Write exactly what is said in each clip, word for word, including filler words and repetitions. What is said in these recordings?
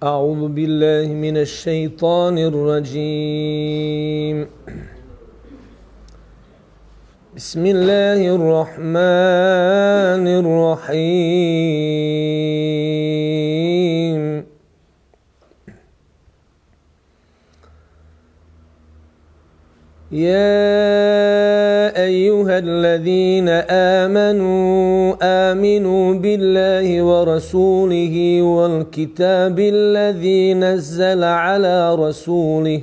أعوذ بالله من الشيطان الرجيم بسم الله الرحمن الرحيم يا أيها الذين آمنوا آمنوا بالله ورسوله والكتاب الذي نزل على رسوله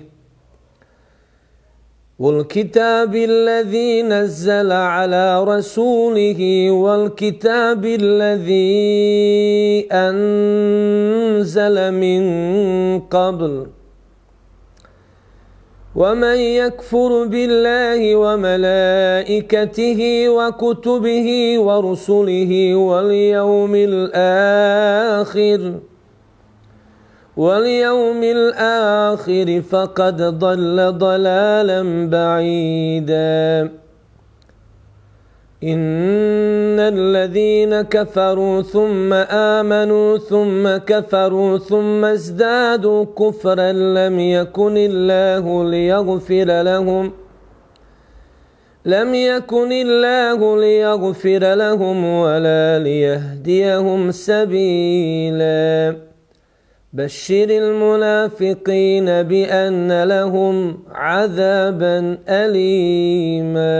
والكتاب الذي نزل على رسوله والكتاب الذي أنزل من قبل ومن يكفر بالله وملائكته وكتبه ورسله واليوم الآخر واليوم الآخر فقد ضل ضلالا بعيدا إن الذين كفروا ثم آمنوا ثم كفروا ثم ازدادوا كفرا لم يكن الله ليغفر لهم لم يكن الله ليغفر لهم ولا ليهديهم سبيلا بشر المنافقين بأن لهم عذابا أليما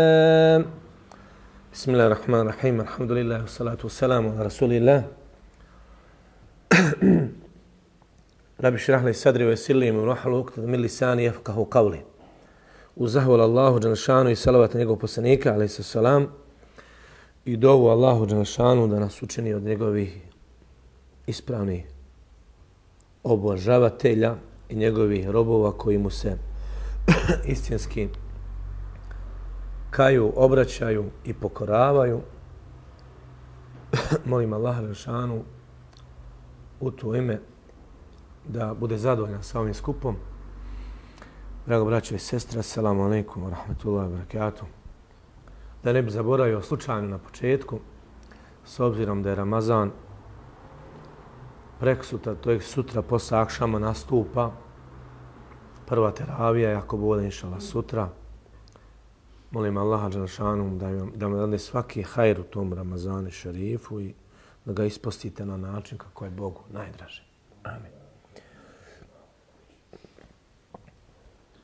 بسم الله الرحمن الرحيم الحمد لله والصلاة والسلام على رسول الله رب اشرح لي صدري ويسر لي امري واحلل عقدة من لساني يفقهوا قولي وزهول Allahu dželešanu i salavat na njegovog poslanika alejhi selam i dovu Allahu dželešanu da nas učini od njegovih ispravnih obožavatelja i njegovih robova koji mu se istinski kaju, obraćaju i pokoravaju. Molim Allaha dželešanu u to ime da bude zadovoljan sa ovim skupom. Drago braćo i sestre, assalamu alaikum wa rahmatullahi wa barakatuh. Da ne bi zaboravio slučajno na početku, s obzirom da je Ramazan prek sutra, to je sutra posle akšama nastupa prva teravija, ako bude inšallah sutra. Molim Allaha dželešanu da da vam dane svaki hajr u tom Ramazanu šerifu i da ga ispostite na način kako je Bogu najdraže. Amin.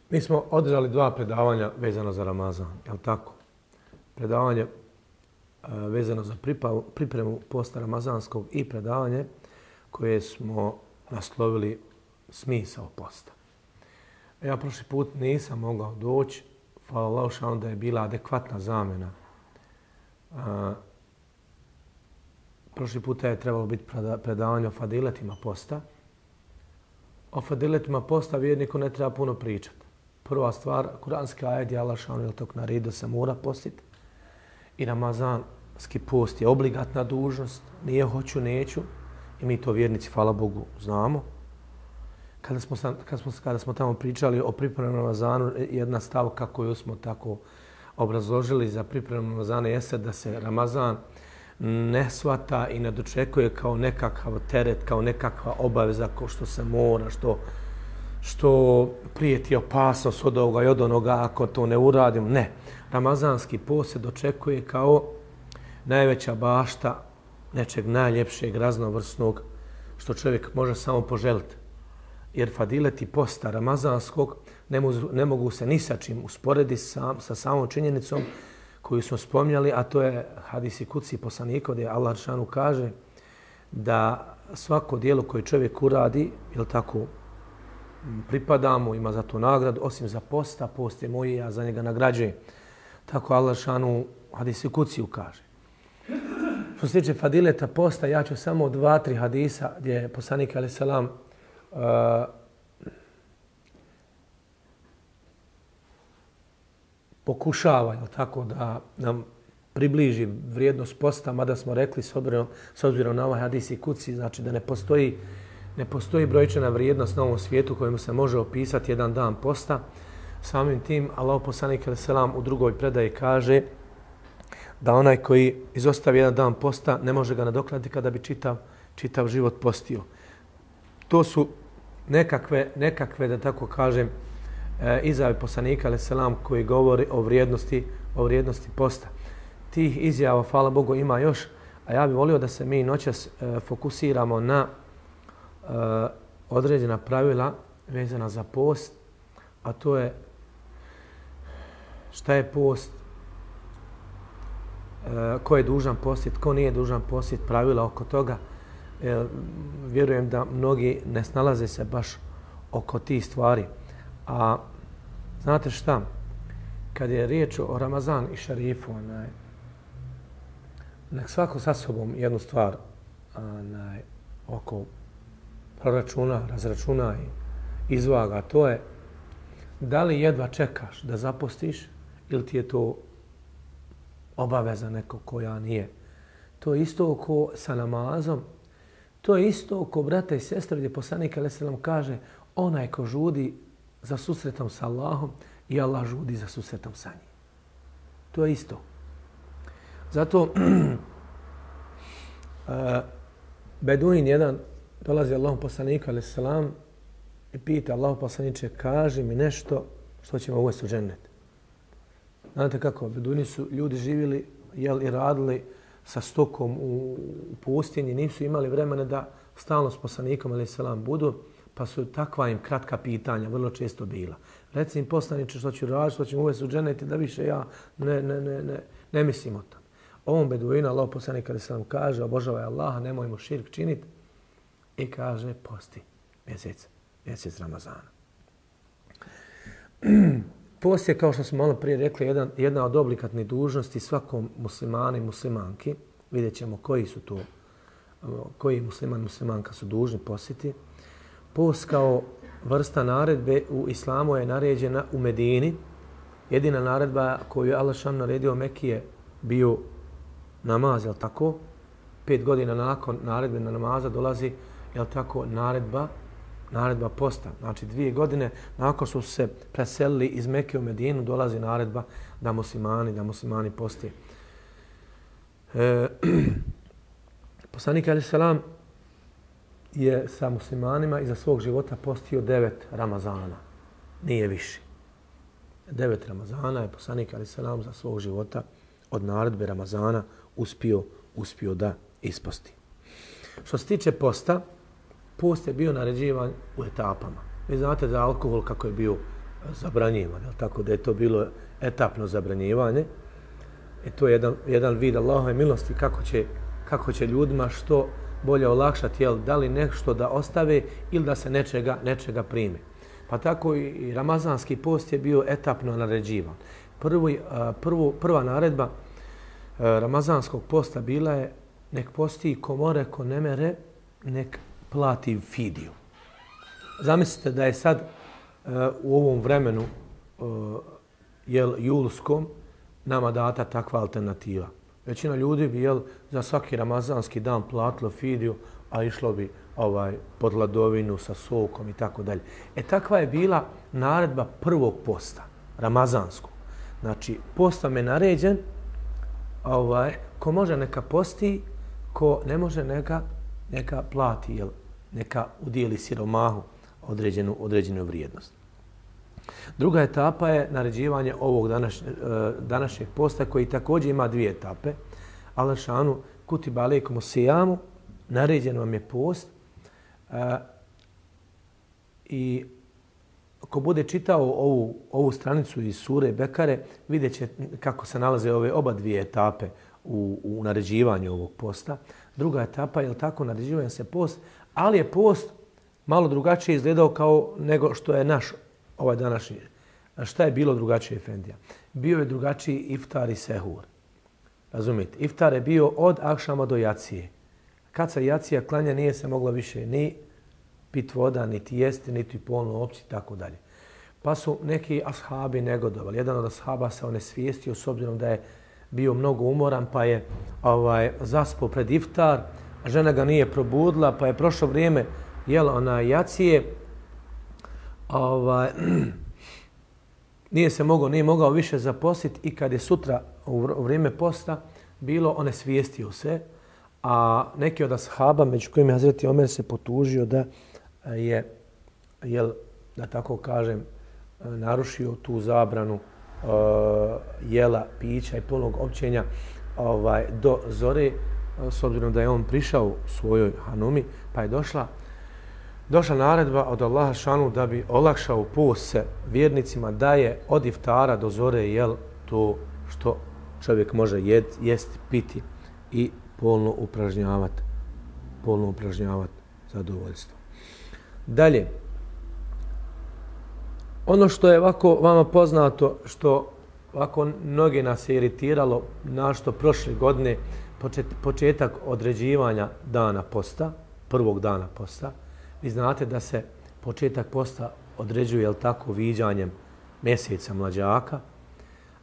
Mi smo održali dva predavanja vezano za Ramazan, je li tako? Predavanje uh, vezano za pripa, pripremu posta ramazanskog i predavanje koje smo naslovili smisao posta. Ja prošli put nisam mogao doći, hvala Allahu šanu da je bila adekvatna zamjena. A, prošli puta je trebalo biti predavanje o fadiletima posta. O fadiletima posta vjerniku ne treba puno pričati. Prva stvar, kuranski ajet je Allah šanu je tog naredio da se mora postiti. I ramazanski post je obligatna dužnost, nije hoću, neću. I mi to vjernici, hvala Bogu, znamo. Kada smo, kada, smo, kada smo tamo pričali o pripremnom Ramazanu, jedna stavka koju smo tako obrazložili za pripremnom Ramazana jeste da se Ramazan ne shvata i ne dočekuje kao nekakav teret, kao nekakva obaveza, kao što se mora, što, što prijeti opasnost od ovoga i od onoga ako to ne uradim. Ne. Ramazanski post se dočekuje kao najveća bašta nečeg najljepšeg, raznovrsnog, što čovjek može samo poželiti. Jer fadileti posta ramazanskog ne, mu, ne mogu se ni sa čim usporediti sa, sa samom činjenicom koju smo spomnjali, a to je hadisi kuci poslanika gdje Allah dželešanu kaže da svako djelo koje čovjek uradi, jel tako, pripada mu, ima za to nagradu, osim za posta, post je moj, ja za njega nagrađujem. Tako Allah dželešanu hadisi kuci kaže. Što se tiče fadileta posta, ja ću samo dva, tri hadisa gdje je poslanik alejhi selam Uh, pokušava jel tako, da nam približi vrijednost posta, mada smo rekli s obzirom, s obzirom na ovaj hadis i kuci, znači da ne postoji, ne postoji brojčana vrijednost na ovom svijetu kojemu se može opisati jedan dan posta. Samim tim, Allahov poslanik alejhi selam u drugoj predaji kaže da onaj koji izostavi jedan dan posta ne može ga nadoknaditi kada bi čitav, čitav život postio. to su nekakve, nekakve da tako kažem, izjave poslanika alejhi selam koji govori o vrijednosti, o vrijednosti posta. Tih izjava, hvala Bogu, ima još, a ja bih volio da se mi noćas fokusiramo na određena pravila vezana za post, a to je šta je post, ko je dužan postiti, ko nije dužan postiti, pravila oko toga. Vjerujem da mnogi ne snalaze se baš oko tih stvari. A znate šta? Kad je riječ o Ramazan i šarifu, onaj, nek svako sa sobom jednu stvar onaj, oko proračuna, razračuna i izvaga. To je da li jedva čekaš da zapostiš ili ti je to obaveza neko koja nije. To je isto oko sa namazom. To je isto oko brata i sestre gdje poslanik alejhi selam kaže onaj ko žudi za susretom sa Allahom i Allah žudi za susretom sa njim. To je isto. Zato uh, Beduin jedan dolazi Allahom poslaniku alejhi selam i pita Allahom poslaniče, kaži mi nešto što ćemo uvesti u džennet. Znate kako, Beduini su ljudi živjeli jel, i radili sa stokom u pustinji, nisu imali vremena da stalno s poslanikom alejhi selam budu, pa su takva im kratka pitanja vrlo često bila. Reci im poslaniče što ću raditi, što ćemo uvesti u džennet, da više ja ne, ne, ne, ne, ne mislim o tom. Ovom Beduinu Allah poslanik alejhi selam kaže obožavaj Allaha, nemojmo širk činiti i kaže posti mjesec, mjesec Ramazana. Post je, kao što smo malo prije rekli, jedan, jedna od obligatnih dužnosti svakom muslimanu i muslimanki. Vidjet ćemo koji su to, koji musliman i muslimanka su dužni postiti. Post kao vrsta naredbe u islamu je naređena u Medini. Jedina naredba koju je Allah šan naredio Mekki je bio namaz, jel tako? Pet godina nakon naredbe na namaza dolazi, jel tako, naredba naredba posta. Znači dvije godine nakon su se preselili iz Mekke u Medinu dolazi naredba da muslimani, da muslimani poste. E, poslanik alejhi selam je sa muslimanima iza svog života postio devet Ramazana. Nije više. Devet Ramazana je poslanik alejhi selam za svog života od naredbe Ramazana uspio, uspio da isposti. Što se tiče posta, post je bio naređivan u etapama. Vi znate da alkohol kako je bio zabranjivan, tako da je to bilo etapno zabranjivanje. I to je jedan, jedan vid Allahove milosti kako će, kako će ljudima što bolje olakšati, jel, da li nešto da ostave ili da se nečega, nečega prime. Pa tako i ramazanski post je bio etapno naređivan. Prvi, prvo, prva naredba ramazanskog posta bila je nek posti ko more, ko ne mere, nek plati fidiju. Zamislite da je sad uh, u ovom vremenu uh, jel, julskom nama data takva alternativa. Većina ljudi bi jel, za svaki ramazanski dan platilo fidiju, a išlo bi ovaj, pod hladovinu sa sokom i tako dalje. E takva je bila naredba prvog posta, ramazanskog. Znači, post vam je naređen, ovaj, ko može neka posti, ko ne može neka, neka plati, jel, neka udijeli siromahu određenu, određenu vrijednost. Druga etapa je naređivanje ovog današnje, današnjeg posta koji također ima dvije etape. Allah šanu kutiba alejkumu sijamu, naređen vam je post. E, I ako bude čitao ovu, ovu stranicu iz sure Bekare, vidjet će kako se nalaze ove oba dvije etape u, u naređivanju ovog posta. Druga etapa je tako naređivanje se post, ali je post malo drugačije izgledao kao nego što je naš ovaj današnji. Šta je bilo drugačije, Efendija? Bio je drugačiji iftar i sehur. Razumite? Iftar je bio od akšama do jacije. Kad se jacija klanja nije se moglo više ni pit voda, niti jesti, niti polno opći i tako dalje. Pa su neki ashabi negodovali. Jedan od ashaba se onesvijestio s obzirom da je bio mnogo umoran, pa je ovaj, zaspao pred iftar, a žena ga nije probudila, pa je prošlo vrijeme jela ona jacije, ovaj, nije se mogao, nije mogao više zaposliti i kad je sutra u vrijeme posta bilo, onesvijestio se, a neki od ashaba, među kojima je Hazreti Omer se potužio da je, jel, da tako kažem, narušio tu zabranu uh, jela, pića i polnog općenja ovaj, do zore, s obzirom da je on prišao svojoj hanumi, pa je došla došla naredba od Allaha šanu da bi olakšao post se vjernicima da je od iftara do zore jel to što čovjek može jed, jesti, piti i polno upražnjavati polno upražnjavati zadovoljstvo. Dalje, ono što je ovako vama poznato, što ovako mnoge nas je iritiralo, našto prošle godine počet, početak određivanja dana posta, prvog dana posta, vi znate da se početak posta određuje, jel tako, viđanjem mjeseca mlađaka.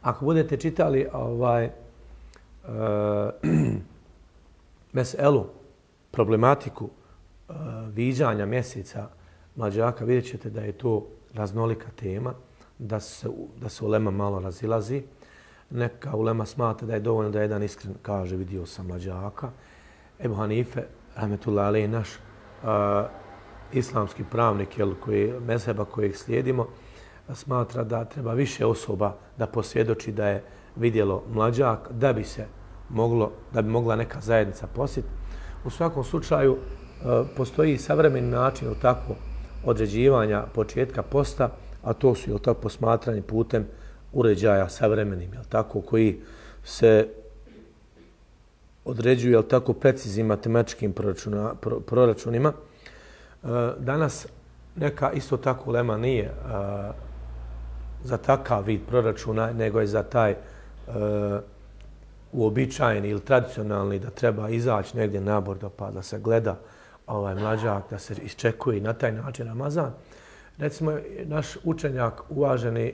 Ako budete čitali ovaj e, meselu, problematiku e, viđanja mjeseca mlađaka, vidjet ćete da je to raznolika tema, da se, da se ulema malo razilazi. Neka ulema smatra da je dovoljno da jedan iskren kaže vidio sam mlađaka. Ebu Hanife, rahmetullahi alejhi, naš a, islamski pravnik, jel, koji, mezheba kojeg slijedimo, smatra da treba više osoba da posvjedoči da je vidjelo mlađak, da bi se moglo, da bi mogla neka zajednica posjetiti. U svakom slučaju a, postoji savremeni način tako određivanja početka posta, a to su jel tako posmatranje putem uređaja savremenim, jel tako, koji se određuju jel tako preciznim matematičkim proračuna, pro, proračunima. E, danas neka isto tako ulema nije e, za takav vid proračuna, nego je za taj e, uobičajeni ili tradicionalni da treba izaći negdje nabordo pa da se gleda ovaj mlađak, da se iščekuje i na taj način Ramazan. Recimo, naš učenjak, uvaženi e,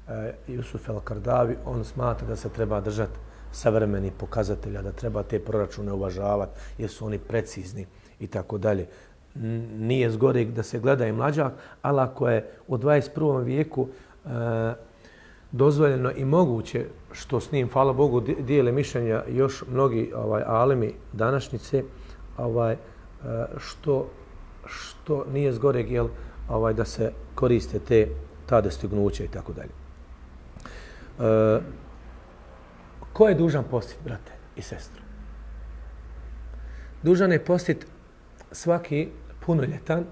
e, Jusuf el-Kardavi, on smatra da se treba držati savremeni pokazatelja, da treba te proračune uvažavati jer su oni precizni i tako dalje. Nije zgoreg da se gleda i mlađak, ali ako je u dvadeset prvom vijeku e, dozvoljeno i moguće, što s njim, hvala Bogu, dijele mišljenja još mnogi ovaj, alemi današnjice, ovaj, što, što nije zgoreg jel, ovaj, da se koriste te ta dostignuća i tako dalje. E, ko je dužan postiti, brate i sestru? Dužan je postiti svaki punoljetan,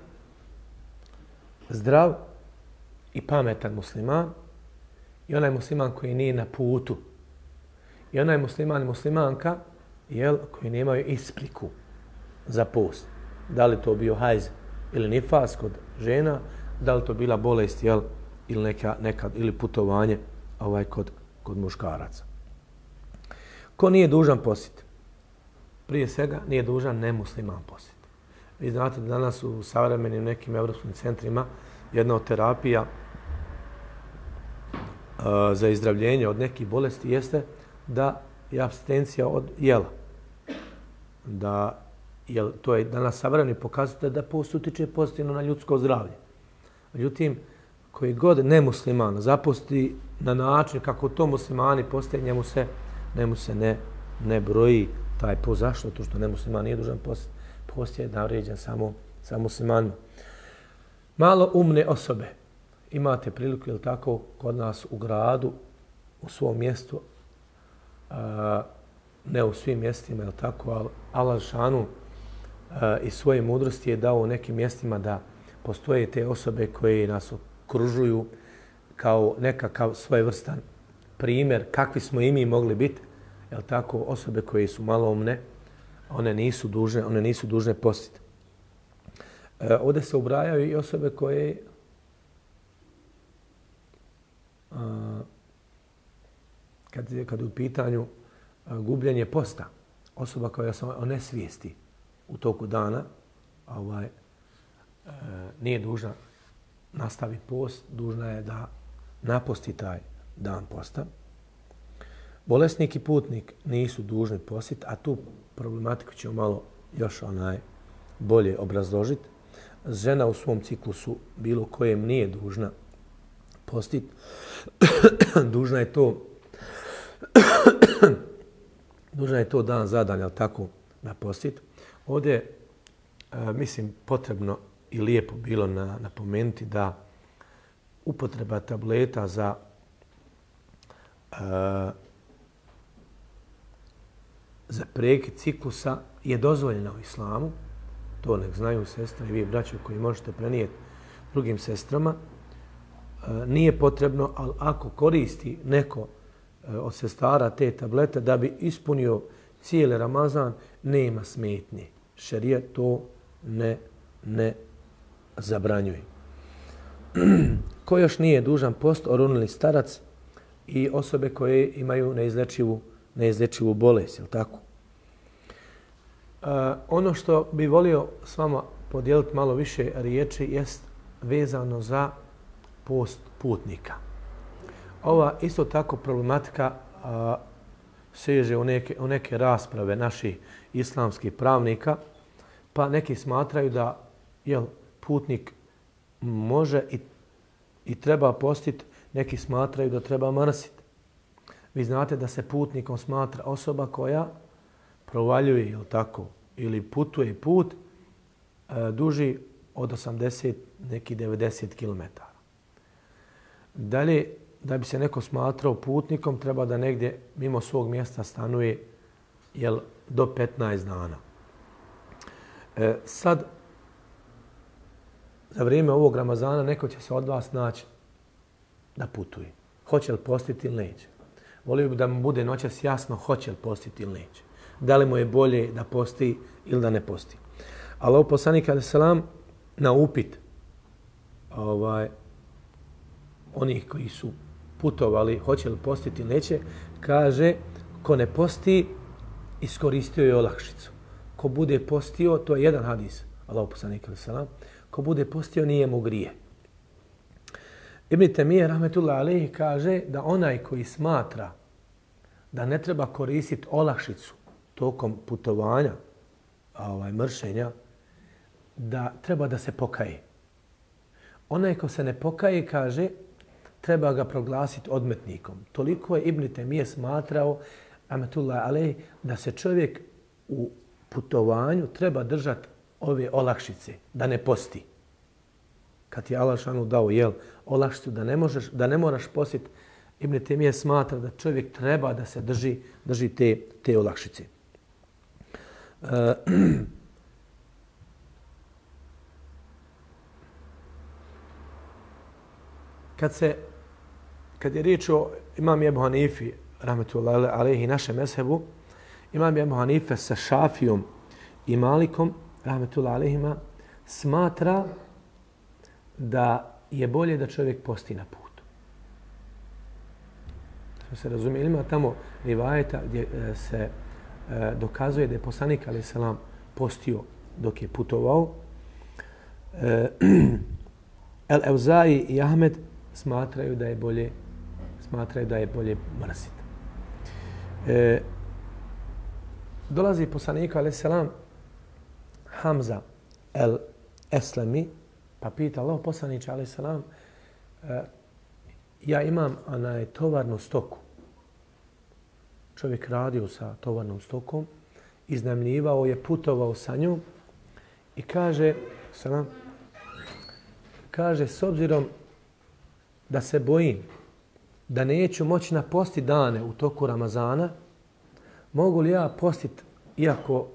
zdrav i pametan musliman i onaj musliman koji nije na putu i onaj musliman i muslimanka jel, koji nemaju ispriku za post. Da li to bio hajz ili nifas kod žena, da li to bila bolest jel, ili neka, neka ili putovanje ovaj kod, kod muškaraca. Ko nije dužan postiti? Prije svega nije dužan nemusliman postiti. Vi znate da danas u savremenim nekim evropskim centrima jedna od terapija uh, za izdravljenje od nekih bolesti jeste da je apstinencija od jela. Da jer to je danas savremeni pokazatelj da post utiče pozitivno na ljudsko zdravlje. Međutim, koji god nemusliman zaposti na način kako to muslimani postoje, njemu se, njemu se ne, ne broji taj post. Zašto? To što nemusliman nije dužan post, post je naređen samo, samo muslimanima. Malo umne osobe. Imate priliku, jel tako, kod nas u gradu, u svom mjestu, a, ne u svim mjestima, jel tako, ali Allah šanu i svoje mudrosti je dao u nekim mjestima da postoje te osobe koje nas okružuju kao nekakav svojevrstan primjer kakvi smo i mi mogli biti, jel tako, osobe koje su maloumne, one nisu dužne, one nisu dužne postiti. E, ovdje se ubrajaju i osobe koje a, kad, kad je u pitanju a, gubljenje posta, osoba koja se onesvijesti u toku dana, ovaj, e, nije dužna nastaviti post, dužna je da naposti taj dan posta. Bolesnik i putnik nisu dužni postiti, a tu problematiku ćemo malo još onaj bolje obrazložiti. Žena u svom ciklusu bilo kojem nije dužna postiti, dužna je to dužna je to dan za dan, jel tako, napostiti. Ovdje e, mislim, potrebno i lijepo bilo na, napomenuti da upotreba tableta za e, za prekid ciklusa je dozvoljena u islamu. To nek znaju sestre i vi braćo koji možete prenijeti drugim sestrama. E, nije potrebno, ali ako koristi neko e, od sestara te tablete da bi ispunio cijeli Ramazan, nema smetnje. Šerijat to ne, ne zabranjuje. Ko još nije dužan post, orunili starac i osobe koje imaju neizlečivu, neizlečivu bolest, je li tako? Uh, ono što bi volio s vama podijeliti malo više riječi jest vezano za post putnika. Ova isto tako problematika uh, seže u neke, u neke rasprave naših islamskih pravnika, pa neki smatraju da jel, putnik može i, i treba postiti, neki smatraju da treba mrsiti. Vi znate da se putnikom smatra osoba koja provaljuje, jel tako, ili putuje put e, duži od osamdeset, neki devedeset kilometara. Dalje, da bi se neko smatrao putnikom, treba da negdje mimo svog mjesta stanuje jel, do petnaest dana. E, sad, za vrijeme ovog Ramazana neko će se od vas naći da putuje. Hoće li postiti ili neće? Volio bi da mu bude noćas jasno hoće li postiti ili neće. Da li mu je bolje da posti ili da ne posti. Allah poslanik alejhi selam na upit ovaj, onih koji su putovali, hoće li postiti ili neće, kaže ko ne posti, iskoristio je olakšicu. Ko bude postio, to je jedan hadis, Allah poslanik alejhi selam, ko bude postio nije mu grije. Ibn Temije rahmetullah alejhi kaže da onaj koji smatra da ne treba koristiti olakšicu tokom putovanja, ovaj, mršenja, da treba da se pokaje. Onaj ko se ne pokaje, kaže, treba ga proglasiti odmetnikom. Toliko je Ibn Temije smatrao, rahmetullah alejhi, da se čovjek u putovanju treba držati ove olakšice, da ne posti. Kad ti je Allah šanu dao jel, olakšicu da ne, možeš, da ne moraš postiti, Ibn Temije smatra da čovjek treba da se drži, drži te, te olakšice. E, kad, se, kad je riječ o imam Ebu Hanifi, rahmetullahi alejhi, našem mezhebu, imam Ebu Hanife sa Šafijom i Malikom, rahmetullahi alejhima, smatra da je bolje da čovjek posti na putu. To se razumije. Ima tamo rivajeta gdje se e, dokazuje da je poslanik alejhi selam postio dok je putovao. E, El Evzai i Ahmed smatraju da je bolje smatraju da je bolje mrsiti. E, dolazi poslanik alejhi selam Hamza el Eslemi, pa pita Allah poslaniče alejhi selam, e, ja imam onaj tovarnu stoku. Čovjek radio sa tovarnom stokom, iznajmljivao je, putovao sa njom i kaže, selam, kaže, s obzirom da se bojim da neću moći napostiti dane u toku Ramazana, mogu li ja postiti, iako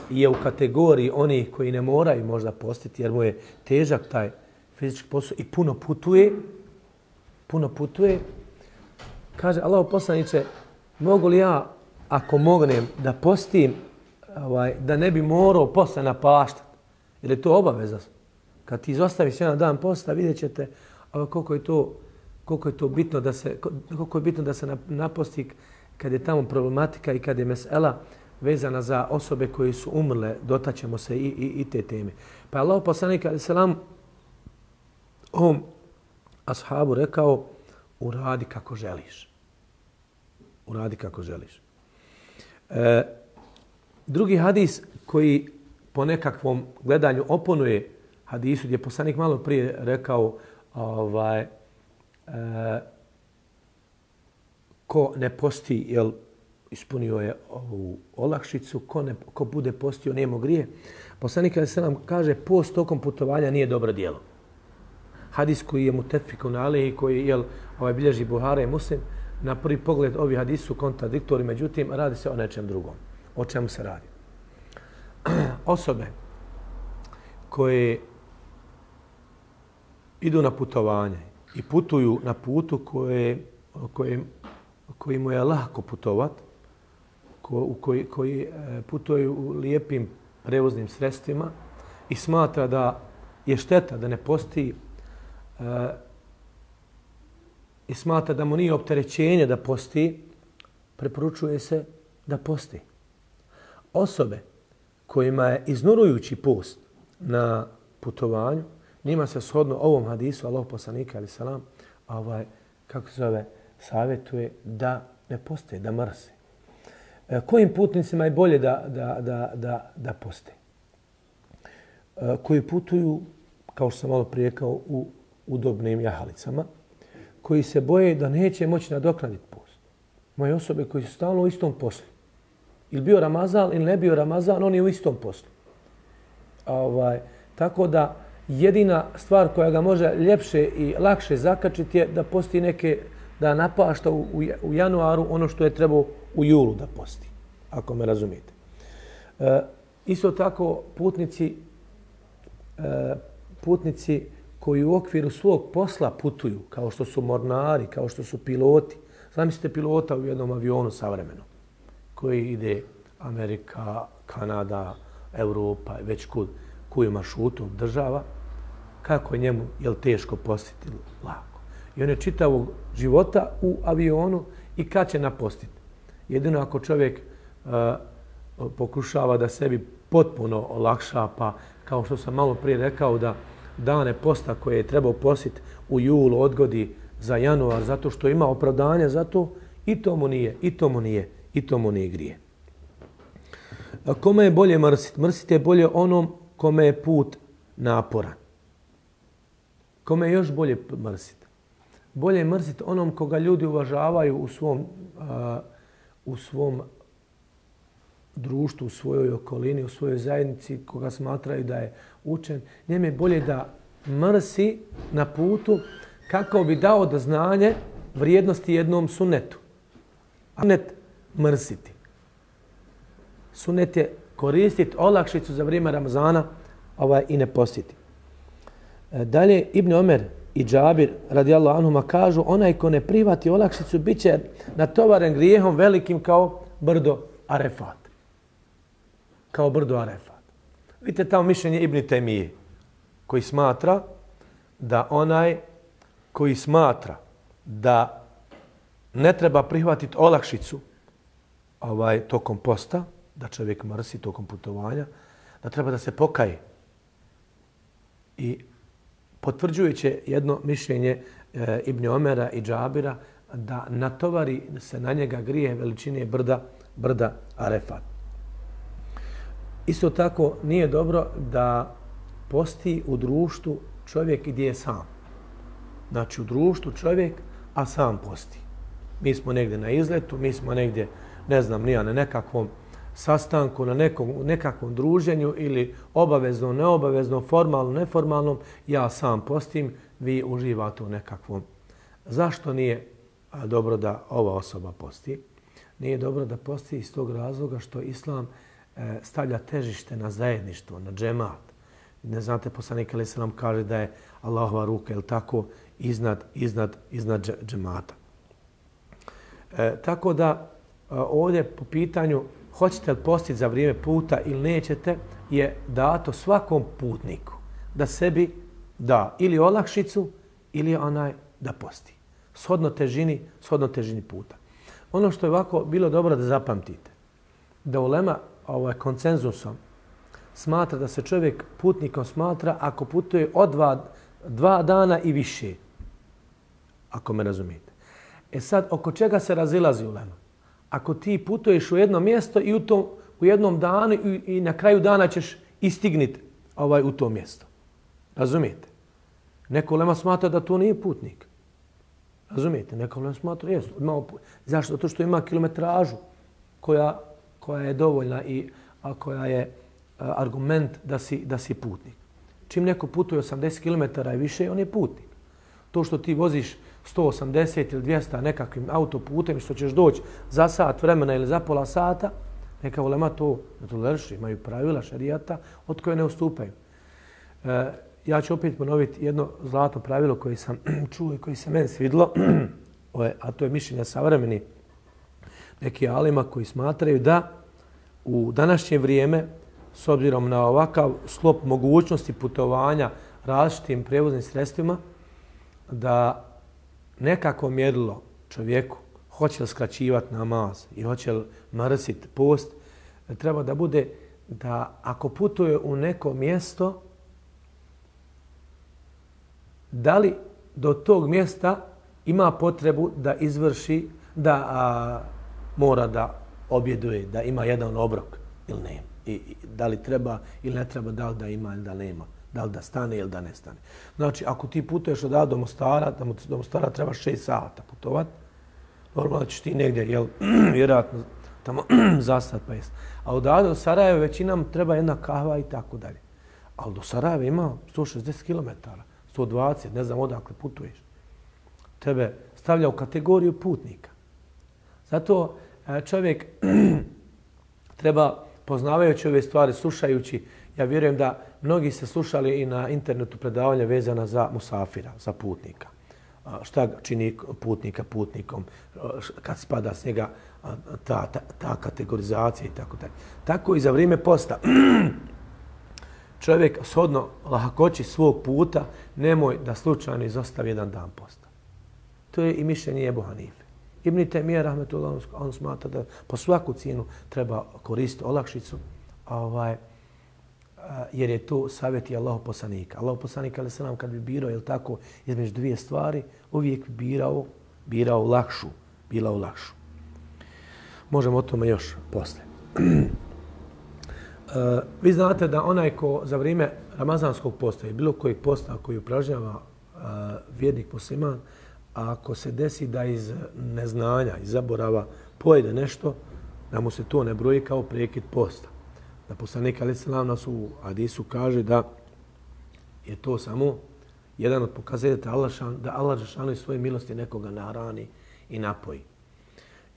je u kategoriji onih koji ne moraju možda postiti, jer mu je težak taj fizički posao i puno putuje, puno putuje, kaže, Allah poslaniče, mogu li ja, ako mognem, da postim, ovaj, da ne bi morao posle napaštati, jer je to obaveza. Kad ti izostaviš jedan dan posta, vidjet ćete koliko je to, koliko je to bitno da se, koliko je bitno da se naposti kad je tamo problematika i kad je mesela vezana za osobe koje su umrle, dotaćemo se i, i, i te teme. Pa Allah poslanik alejhi selam ovom ashabu rekao, uradi kako želiš. Uradi kako želiš. E, drugi hadis koji po nekakvom gledanju oponuje hadisu gdje je poslanik malo prije rekao ovaj, e, ko ne posti jel, ispunio je ovu olakšicu, ko, ne, ko bude postio nijemo grije. Poslanik alejhi selam kaže post tokom putovanja nije dobro djelo. Hadis koji je mutefikun alejhi, koji je ovaj bilježi Buhari i Muslim, na prvi pogled ovi hadisi su kontradiktori, međutim radi se o nečem drugom. O čemu se radi? Osobe koje idu na putovanje i putuju na putu koje, koje, koji mu je lahko putovat, ko, koji, koji putuju u lijepim prevoznim sredstvima i smatra da je šteta da ne posti e, i smatra da mu nije opterećenje da posti, preporučuje se da posti. Osobe kojima je iznorujući post na putovanju, njima se shodno ovom hadisu Allahov poslanika alejhi selam ovaj kako se zove savjetuje da ne poste, da mrse. E, kojim putnicima je bolje da da da da da poste? E, koji putuju, kao što sam malo prije rekao, u udobnim jahalicama, koji se boje da neće moći nadoknaditi post. Moje osobe koji su stalno u istom poslu. Ili bio Ramazan ili ne bio Ramazan, oni u istom poslu. Ovaj, tako da jedina stvar koja ga može ljepše i lakše zakačiti je da posti neke, da napašta u, u, u januaru ono što je trebao u julu da posti, ako me razumijete. E, isto tako putnici, e, putnici koji u okviru svog posla putuju, kao što su mornari, kao što su piloti. Zamislite pilota u jednom avionu savremenom, koji ide Amerika, Kanada, Europa, već kud, koju maršrutu država, kako je njemu, je li teško postiti lako. I on je čitavog života u avionu i kad će napostiti. Jedino ako čovjek uh, pokušava da sebi potpuno olakša, pa kao što sam malo prije rekao, da dane posta koje je trebao postiti u julu odgodi za januar, zato što ima opravdanja za to, i to mu nije, i to mu nije, i to mu nije grije. A kome je bolje mrsiti? Mrsiti je bolje onom kome je put naporan. Kome je još bolje mrsiti? Bolje je mrsiti onom koga ljudi uvažavaju u svom, uh, u svom društvu, u svojoj okolini, u svojoj zajednici, koga smatraju da je učen. Njemu je bolje da mrsi na putu kako bi dao do znanje vrijednosti jednom sunnetu. Sunnet mrsiti. Sunnet je koristiti olakšicu za vrijeme Ramazana ovaj, i ne postiti. Dalje, Ibn Omer i Džabir radijallahu anhuma kažu, onaj ko ne prihvati olakšicu bit će natovaren grijehom velikim kao brdo Arefat. Kao brdo Arefat. Vidite tamo mišljenje Ibn Temije, koji smatra da onaj koji smatra da ne treba prihvatiti olakšicu ovaj, tokom posta, da čovjek mrsi tokom putovanja, da treba da se pokaje. I potvrđujuće jedno mišljenje e, Ibn Omera i Džabira da natovari se na njega grije veličine brda, brda Arefat. Isto tako nije dobro da posti u društvu čovjek gdje je sam. Znači u društvu čovjek, a sam posti. Mi smo negdje na izletu, mi smo negdje, ne znam, nija na nekakvom sastanku, na nekom, nekakvom druženju ili obavezno, neobavezno, formalno, neformalnom, ja sam postim, vi uživate u nekakvom. Zašto nije dobro da ova osoba posti? Nije dobro da posti iz tog razloga što Islam e, stavlja težište na zajedništvo, na džemat. Ne znate, poslanik alejhi selam kaže da je Allahova ruka, je li tako, iznad, iznad, iznad džemata. E, tako da e, ovdje po pitanju hoćete li postiti za vrijeme puta ili nećete, je dato svakom putniku da sebi da ili olakšicu ili onaj da posti. Shodno težini, shodno težini puta. Ono što je ovako bilo dobro da zapamtite, da ulema ovaj, konsenzusom smatra da se čovjek putnikom smatra ako putuje od dva, dva dana i više. Ako me razumijete. E sad, oko čega se razilazi ulema? Ako ti putuješ u jedno mjesto i u, tom, u jednom danu i, i na kraju dana ćeš istigniti ovaj, u to mjesto. Razumijete? Neko ulema smatra da to nije putnik. Razumijete? Neko ulema smatra, jesu. Zašto? Zato što ima kilometražu. koja, koja je dovoljna i a koja je a, argument da si, da si putnik. Čim neko putuje osamdeset kilometara i više, on je putnik. To što ti voziš sto osamdeset ili dvjesto nekakvim autoputem, što ćeš doći za sat vremena ili za pola sata, neka ulema to ne toleriše, imaju pravila šerijata od koje ne ustupaju. E, ja ću opet ponoviti jedno zlatno pravilo koje sam čuo i koje se meni svidilo, a to je mišljenje savremeni neki alima koji smatraju da u današnje vrijeme, s obzirom na ovakav sklop mogućnosti putovanja različitim prevoznim sredstvima, da nekako mjerilo čovjeku hoće li skraćivati namaz i hoće li mrsiti post, treba da bude da ako putuje u neko mjesto, da li do tog mjesta ima potrebu da izvrši, da a, mora da objeduje, da ima jedan obrok ili ne. I, i, da li treba ili ne treba, da li da ima ili da nema. Da li da stane ili da ne stane. Znači, ako ti putuješ od do Mostara, da do Mostara treba šest sata putovati, normalno ćeš ti negdje, jel, vjerojatno tamo zastat pa jest. A od do Sarajeva većinam treba jedna kahva i tako dalje. Ali do Sarajeva ima sto šezdeset kilometara, sto dvadeset, ne znam odakle putuješ. Tebe stavlja u kategoriju putnika. Zato čovjek treba, poznavajući ove stvari, slušajući, ja vjerujem da mnogi se slušali i na internetu predavanja vezana za musafira, za putnika. Šta čini putnika putnikom, kad spada s njega ta, ta, ta kategorizacija i tako dalje. Tako i za vrijeme posta. Čovjek shodno lahakoći svog puta nemoj da slučajno izostavi jedan dan posta. To je i mišljenje Ebu Hanife. Ibn Taymije rahmetullah, on smatra da po svaku cijenu treba koristiti olakšicu, ovaj, jer je to savjet i Allahov poslanika. Allahov poslanik, ali se nam kad bi birao, jel tako, između dvije stvari, uvijek bi birao, birao lakšu, birao lakšu. Možemo o tome još posle. Uh, vi znate da onaj ko za vrijeme ramazanskog posta i bilo kojeg posta koji upražnjava uh, vjernik musliman, a ako se desi da iz neznanja, iz zaborava pojede nešto, da mu se to ne broji kao prekid posta. Da poslanik alejhi selam nas u hadisu kaže da je to samo jedan od pokazatelja da Allah dželle svoje milosti nekoga nahrani i napoji.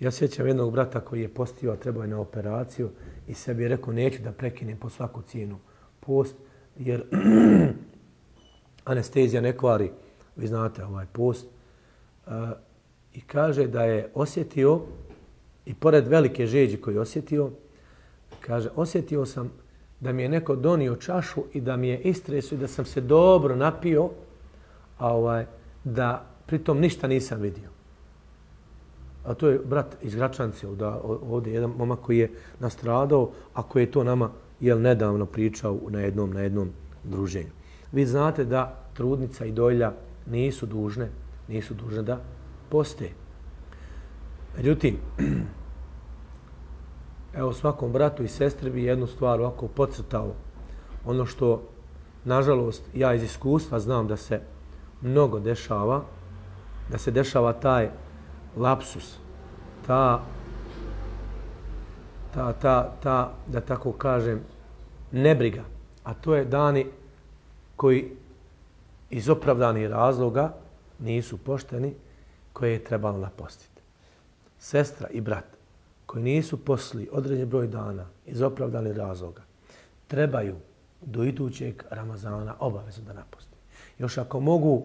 Ja sjećam jednog brata koji je postio, a trebao je na operaciju i sebi je rekao neću da prekinem po svaku cijenu post, jer anestezija ne kvari, vi znate ovaj post. Uh, I kaže da je osjetio, i pored velike žeđi koju je osjetio, kaže, osjetio sam da mi je neko donio čašu i da mi je istresio i da sam se dobro napio, a ovaj, da pritom ništa nisam vidio. A to je brat iz Gračanci, da ovdje jedan momak koji je nastradao, a koji je to nama jel, nedavno pričao na jednom, na jednom druženju. Vi znate da trudnica i dojlja nisu dužne, nisu dužne da poste. Međutim, evo svakom bratu i sestri bi jednu stvar ovako podcrtao. Ono što, nažalost, ja iz iskustva znam da se mnogo dešava, da se dešava taj lapsus, ta, ta, ta, ta, da tako kažem, nebriga. A to je dani koji iz opravdanih razloga nisu pošteni, koje je trebalo napostiti. Sestra i brat koji nisu posli određen broj dana iz opravdanih razloga, trebaju do idućeg Ramazana obavezno da naposti. Još ako mogu,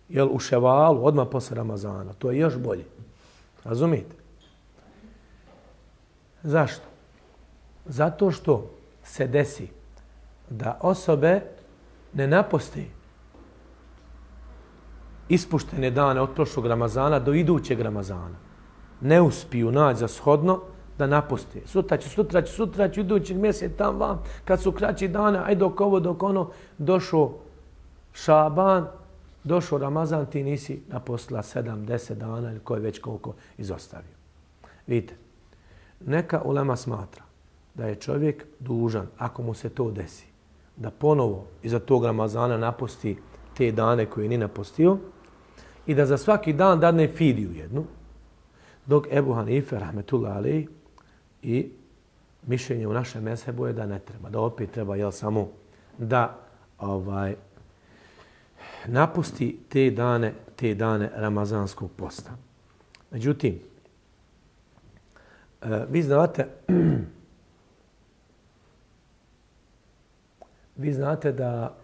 jel, u ševalu, odmah posle Ramazana, to je još bolje. Razumijete? Zašto? Zato što se desi da osobe ne naposti ispuštene dane od prošlog Ramazana do idućeg Ramazana. Ne uspiju naći za shodno da naposti. Sutra će, sutra će, sutra će, idućeg mjesec tam vam, kad su kraći dane, aj dok ovo, dok ono, došao Šaban, došao Ramazan, ti nisi napostila sedam, deset dana ili koje već koliko izostavio. Vidite, neka ulema smatra da je čovjek dužan, ako mu se to desi, da ponovo iza tog Ramazana naposti te dane koje nije napostio i da za svaki dan dadne fidiju jednu, dok Ebu Hanife, rahmetullahi alejhi, I mišljenje u našem mezhebu je da ne treba, da opet treba jel, samo da ovaj, napusti te dane, te dane Ramazanskog posta. Međutim, vi znate, vi znate da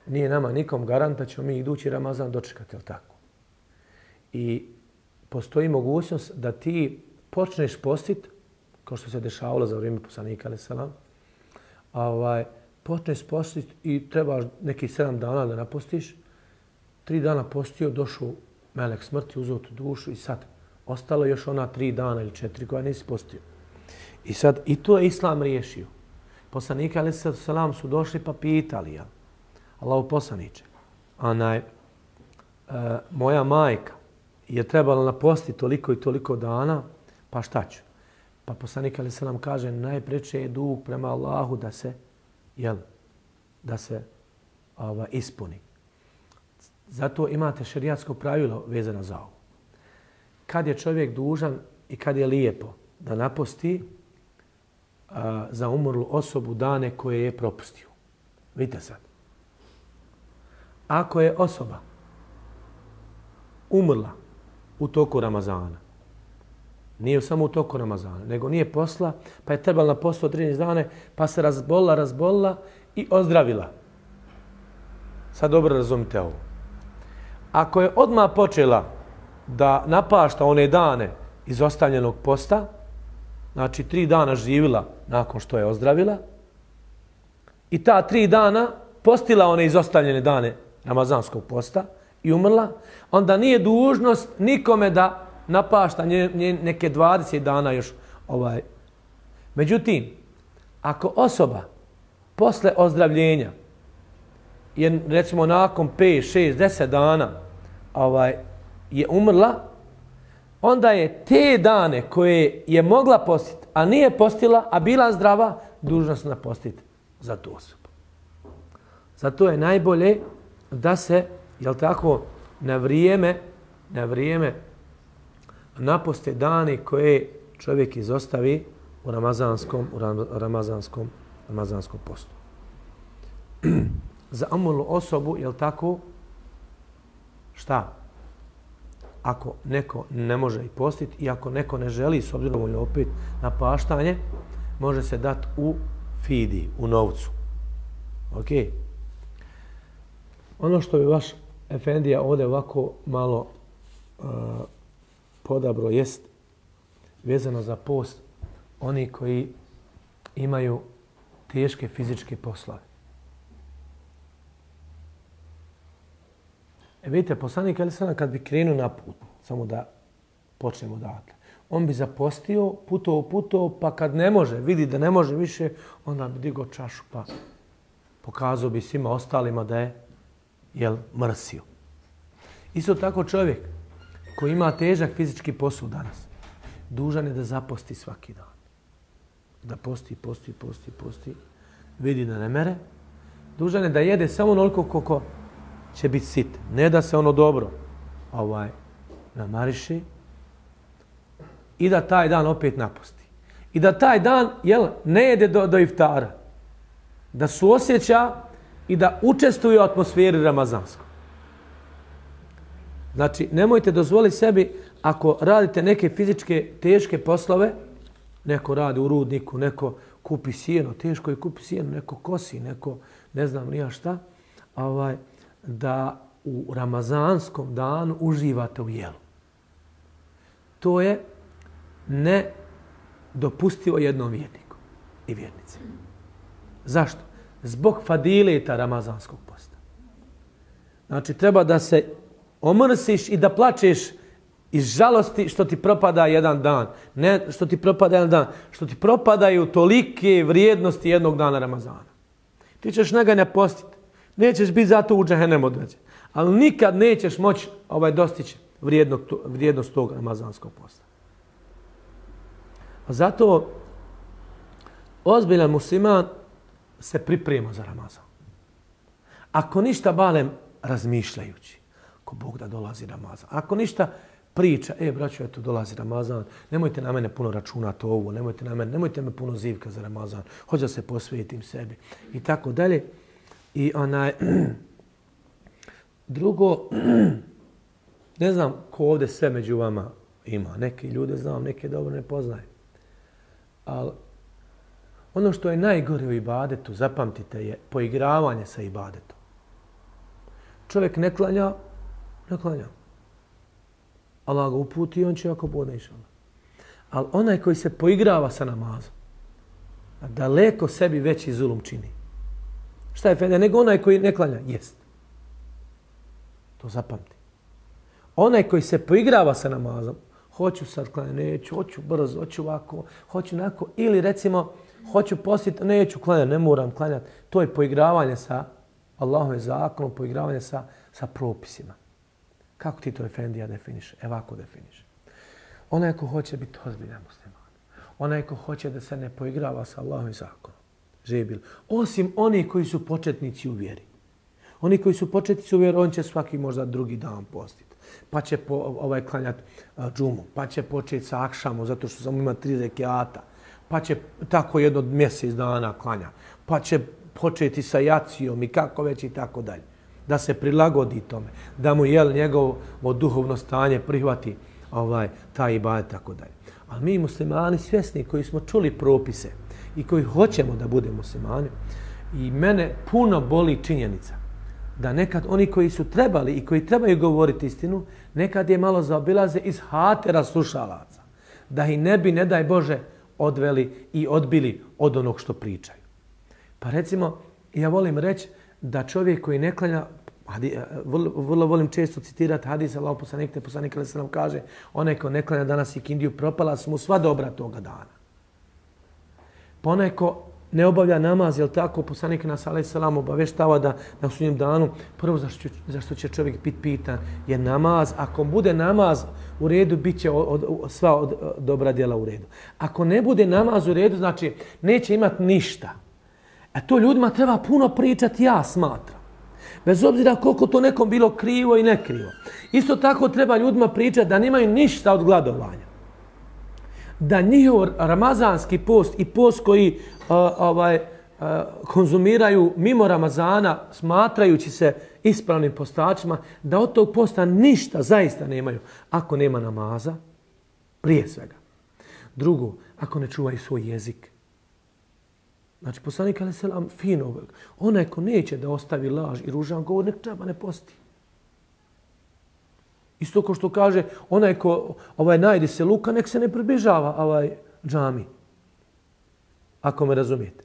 nije nama nikom garant da ćemo mi idući Ramazan dočekati, jel tako? I postoji mogućnost da ti počneš postit, kao što se dešavalo za vrijeme poslanika alejhi selam, ovaj, počneš postit i trebaš nekih sedam dana da napostiš, tri dana postio, došao melek smrti, uzeo tu dušu i sad ostalo još ona tri dana ili četiri koja nisi postio. I sad i to je Islam riješio. Poslanika alejhi selam su došli pa pitali, ja, Allahu poslaniče, onaj, e, moja majka je trebala napostiti toliko i toliko dana, pa šta ću? Pa poslanik alejhi selam kaže, najpreče je dug prema Allahu da se, jel, da se ova, ispuni. Zato imate šerijatsko pravilo vezano za ovo. Kad je čovjek dužan i kad je lijepo da naposti a, za umrlu osobu dane koje je propustio. Vidite sad. Ako je osoba umrla u toku Ramazana, nije samo u toku Ramazana, nego nije posla, pa je trebala napostiti trinaest dane, pa se razbolila, razbolila i ozdravila. Sad dobro razumite ovo. Ako je odmah počela da napašta one dane izostavljenog posta, znači tri dana živila nakon što je ozdravila, i ta tri dana postila one izostavljene dane Ramazanskog posta i umrla, onda nije dužnost nikome da napašta nje, nje, neke dvadeset dana još. Ovaj. Međutim, ako osoba posle ozdravljenja je recimo nakon pet, šest, deset dana ovaj, je umrla, onda je te dane koje je mogla postiti, a nije postila, a bila zdrava, dužnost napostiti za tu osobu. Zato je najbolje da se, jel tako, na vrijeme, na vrijeme naposte dani koje čovjek izostavi u ramazanskom, u ramazanskom, ramazanskom postu. Za umrlu osobu, jel tako, šta? Ako neko ne može i postiti i ako neko ne želi, s obzirom opet na paštanje, može se dati u fidi, u novcu. Ok? Ono što bi vaš efendija ovdje ovako malo uh, podabro jest vezano za post oni koji imaju teške fizičke poslove. E vidite, poslanik alejhi selam kad bi krenuo na put, samo da počnemo odatle, on bi zapostio, putovao, putovao, pa kad ne može, vidi da ne može više, onda bi digao čašu pa pokazao bi svima ostalima da je jel, mrsio. Isto tako čovjek koji ima težak fizički posao danas, dužan je da zaposti svaki dan. Da posti, posti, posti, posti, vidi da ne mere. Dužan je da jede samo onoliko koliko će biti sit. Ne da se ono dobro ovaj, namariši i da taj dan opet napusti. I da taj dan jel, ne jede do, do iftara. Da suosjeća i da učestvuje u atmosferi ramazanskoj. Znači, nemojte dozvoliti sebi, ako radite neke fizičke teške poslove, neko radi u rudniku, neko kupi sjeno, teško je kupi sjeno, neko kosi, neko ne znam nija šta, ovaj, da u ramazanskom danu uživate u jelu. To je nedopustivo jednom vjerniku i vjernici. Zašto? Zbog fadileta ramazanskog posta. Znači, treba da se omrsiš i da plačeš iz žalosti što ti propada jedan dan. Ne što ti propada jedan dan, što ti propadaju tolike vrijednosti jednog dana Ramazana. Ti ćeš njega ne postiti. Nećeš biti zato u džehennem odveđen. Ali nikad nećeš moći ovaj, dostići vrijednog, vrijednost tog ramazanskog posta. A zato ozbiljan musliman se priprema za Ramazan. Ako ništa balem razmišljajući, ako Bog da dolazi Ramazan, ako ništa priča, e, braćo, eto, dolazi Ramazan, nemojte na mene puno računati ovo, nemojte na mene, nemojte me puno zivka za Ramazan, hoću da se posvetim sebi i tako dalje. I onaj, drugo, ne znam ko ovdje sve među vama ima. Neki ljude znam, neke dobro ne poznajem. Ali ono što je najgore u ibadetu, zapamtite, je poigravanje sa ibadetom. Čovjek ne klanja, ne klanja. Allah ga uputi i on će ako bude inšallah. Ali onaj koji se poigrava sa namazom, daleko sebi veći zulum čini. Šta je fede? Nego onaj koji ne klanja, jest. To zapamti. Onaj koji se poigrava sa namazom, hoću sad klanjati, neću, hoću brzo, hoću ovako, hoću onako, ili recimo, hoću postiti, neću klanjati, ne moram klanjati. To je poigravanje sa Allahovim zakonom, poigravanje sa, sa propisima. Kako ti to, efendija, definiš? Evo ovako definiš. Onaj ko hoće biti ozbiljan musliman, onaj ko hoće da se ne poigrava sa Allahovim zakonom, živi. Osim oni koji su početnici u vjeri. Oni koji su početnici u vjeri, on će svaki možda drugi dan postiti. Pa će po, ovaj klanjati uh, džumu, pa će početi sa akšamom, zato što samo ima tri rekiata, pa će tako jedno mjesec dana klanja, pa će početi sa jacijom i kako već i tako dalje. Da se prilagodi tome, da mu jel njegovo duhovno stanje prihvati ovaj, taj ibadet i tako dalje. Ali mi muslimani svjesni koji smo čuli propise i koji hoćemo da budemo muslimani, i mene puno boli činjenica da nekad oni koji su trebali i koji trebaju govoriti istinu, nekad je malo zaobilaze iz hatera slušalaca. Da ih ne bi, ne daj Bože, odveli i odbili od onog što pričaju. Pa recimo, ja volim reći da čovjek koji ne klanja, vrlo volim često citirati hadis Allahov poslanika, poslanik alejhi ve sellem kaže, onaj ko ne klanja danas ikindiju, propala su mu sva dobra toga dana. Pa onaj ko ne obavlja namaz, jel tako, poslanik nas alejhi ve sellem obaveštava da na sudnjem danu prvo zašto, zašto će čovjek biti pitan je namaz. Ako bude namaz u redu, bit će od, od, sva od, dobra djela u redu. Ako ne bude namaz u redu, znači neće imati ništa. A to ljudima treba puno pričati, ja smatram. Bez obzira koliko to nekom bilo krivo i nekrivo. Isto tako treba ljudima pričati da nemaju ništa od gladovanja. Da njihov ramazanski post i post koji uh, ovaj, uh, konzumiraju mimo Ramazana, smatrajući se ispravnim postačima, da od tog posta ništa zaista nemaju ako nema namaza, prije svega. Drugo, ako ne čuvaju svoj jezik. Znači, poslanik alejhi ve sellem fino, onaj ko neće da ostavi laž i ružan govor, nek treba ne posti. Isto kao što kaže, onaj ko ovaj, najdi se luka, nek se ne približava ovaj džami. Ako me razumijete.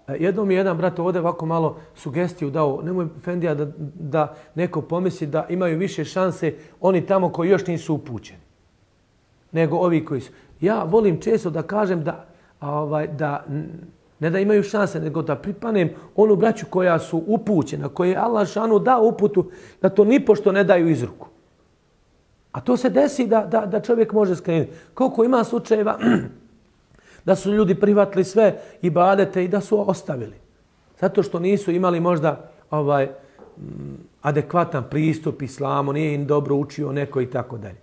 Jednom mi je jedan brat ovdje ovako malo sugestiju dao, nemoj Fendija da, da neko pomisli da imaju više šanse oni tamo koji još nisu upućeni. Nego ovi koji su. Ja volim često da kažem da, ovaj, da ne da imaju šanse, nego da pripanem onu braću koja su upućena, koje je Allah šanu dao uputu, da to nipošto ne daju iz ruku. A to se desi da, da, da čovjek može skrenuti. Koliko ima slučajeva da su ljudi prihvatili sve ibadete i da su ostavili. Zato što nisu imali možda ovaj adekvatan pristup islamu, nije im dobro učio neko i tako dalje.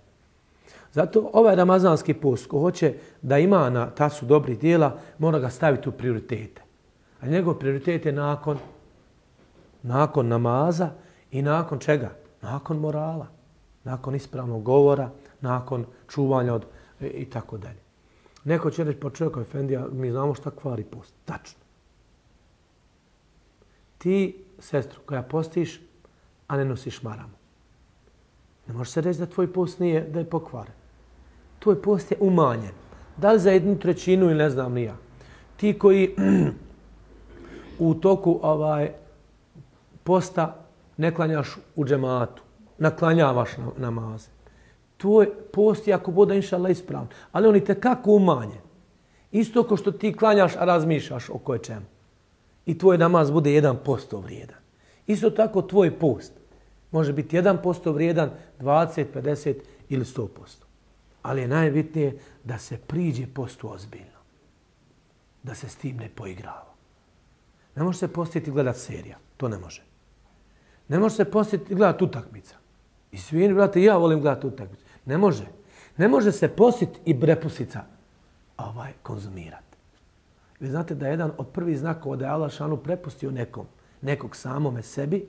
Zato ovaj ramazanski post, ko hoće da ima na tasu dobrih dijela, mora ga staviti u prioritete. A njegov prioritet je nakon, nakon namaza i nakon čega? Nakon morala, nakon ispravnog govora, nakon čuvanja od, i tako dalje. Neko će reći, pa čovjek, Efendija, mi znamo šta kvari post. Tačno. Ti, sestru, koja postiš, a ne nosiš maramu. Ne može se reći da tvoj post nije, da je pokvaren. Tvoj post je umanjen. Da li za jednu trećinu ili ne znam ni ja. Ti koji u toku ovaj, posta ne klanjaš u džematu, naklanjavaš namaze. Tvoj post je ako bude inšallah ispravan, ali on je tekako umanjen. Isto kao što ti klanjaš, a razmišljaš o koje čemu. I tvoj namaz bude jedan posto vrijedan. Isto tako tvoj post može biti jedan posto vrijedan, dvadeset, pedeset ili sto posto. Ali je najbitnije da se priđe postu ozbiljno. Da se s tim ne poigrava. Ne može se postiti gledati serija. To ne može. Ne može se postiti gledati utakmica. I svi, brate, ja volim gledati utakmicu. Ne može. Ne može se postiti i brepusica ovaj, konzumirati. Vi znate da je jedan od prvih znakova da je Allah šanu prepustio nekom, nekog samome sebi,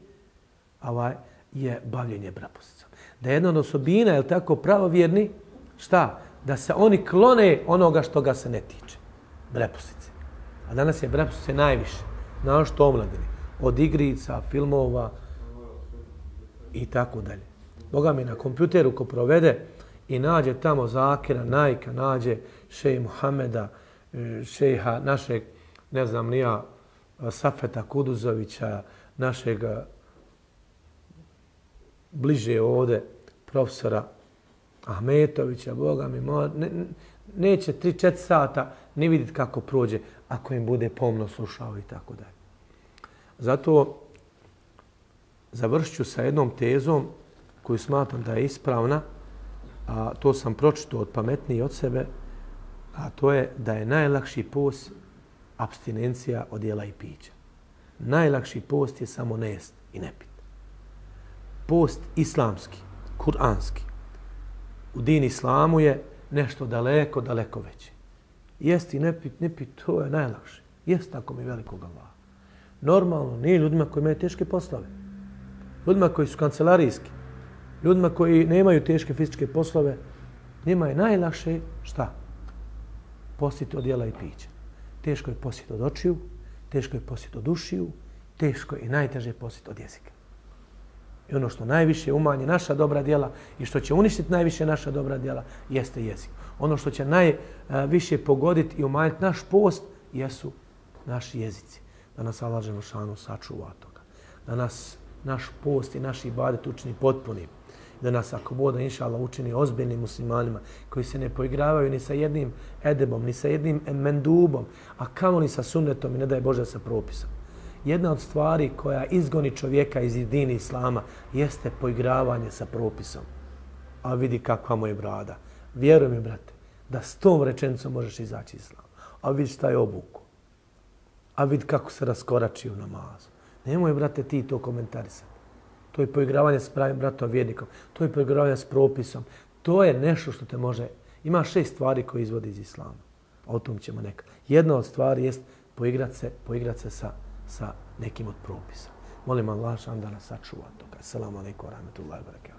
ovaj, je bavljenje brepusicom. Da je jedna od osobina, je li tako, pravovjerni, šta? Da se oni klone onoga što ga se ne tiče. Brepusice. A danas je brepusice najviše. Na što omladini. Od igrica, filmova i tako dalje. Boga mi na kompjuteru ko provede i nađe tamo Zakira, Najka, nađe šeji Muhameda, šejiha našeg, ne znam nija, Safeta Kuduzovića, našeg bliže ovde profesora Ahmetovića, Boga mi, ne, neće tri četiri sata ni vidjeti kako prođe ako im bude pomno slušao i tako dalje. Zato završit ću sa jednom tezom koju smatram da je ispravna, a to sam pročitao od pametniji od sebe, a to je da je najlakši post apstinencija od jela i pića. Najlakši post je samo ne jest i ne pit. Post islamski, kuranski, u din islamu je nešto daleko, daleko veće. Jesti i ne pit, ne pit, to je najlakše. Jest tako mi velikog Allaha. Normalno, nije ljudima koji imaju teške poslove. Ljudima koji su kancelarijski, ljudima koji nemaju teške fizičke poslove, njima je najlakše šta? Postiti od jela i pića. Teško je postiti od očiju, teško je postiti od ušiju, teško je i najteže postiti od jezika. I ono što najviše umanje naša dobra djela i što će uništiti najviše naša dobra djela jeste jezik. Ono što će najviše pogoditi i umanjiti naš post jesu naši jezici. Da nas Allah dželešanu sačuva toga. Da nas naš post i naš ibadet učini potpunim. Da nas, ako bude, inša Allah, učini ozbiljnim muslimanima koji se ne poigravaju ni sa jednim edebom, ni sa jednim mendubom, a kamoli sa sunnetom i ne daj Bože sa propisom. Jedna od stvari koja izgoni čovjeka iz dini islama jeste poigravanje sa propisom. A vidi kakva mu je brada. Vjeruj mi, brate, da s tom rečenicom možeš izaći iz islama. A vidi šta je obuku. A vidi kako se raskorači u namazu. Nemoj, brate, ti to komentarisati. To je poigravanje s pravim bratom vjernikom. To je poigravanje s propisom. To je nešto što te može... Ima šest stvari koje izvodi iz islama. O tom ćemo nekad. Jedna od stvari jest poigrati se, poigrati se sa, sa nekim od propisa. Molim Allah da nas sačuva toga. Assalamu alaikum wa rahmatullahi wa barakatuh.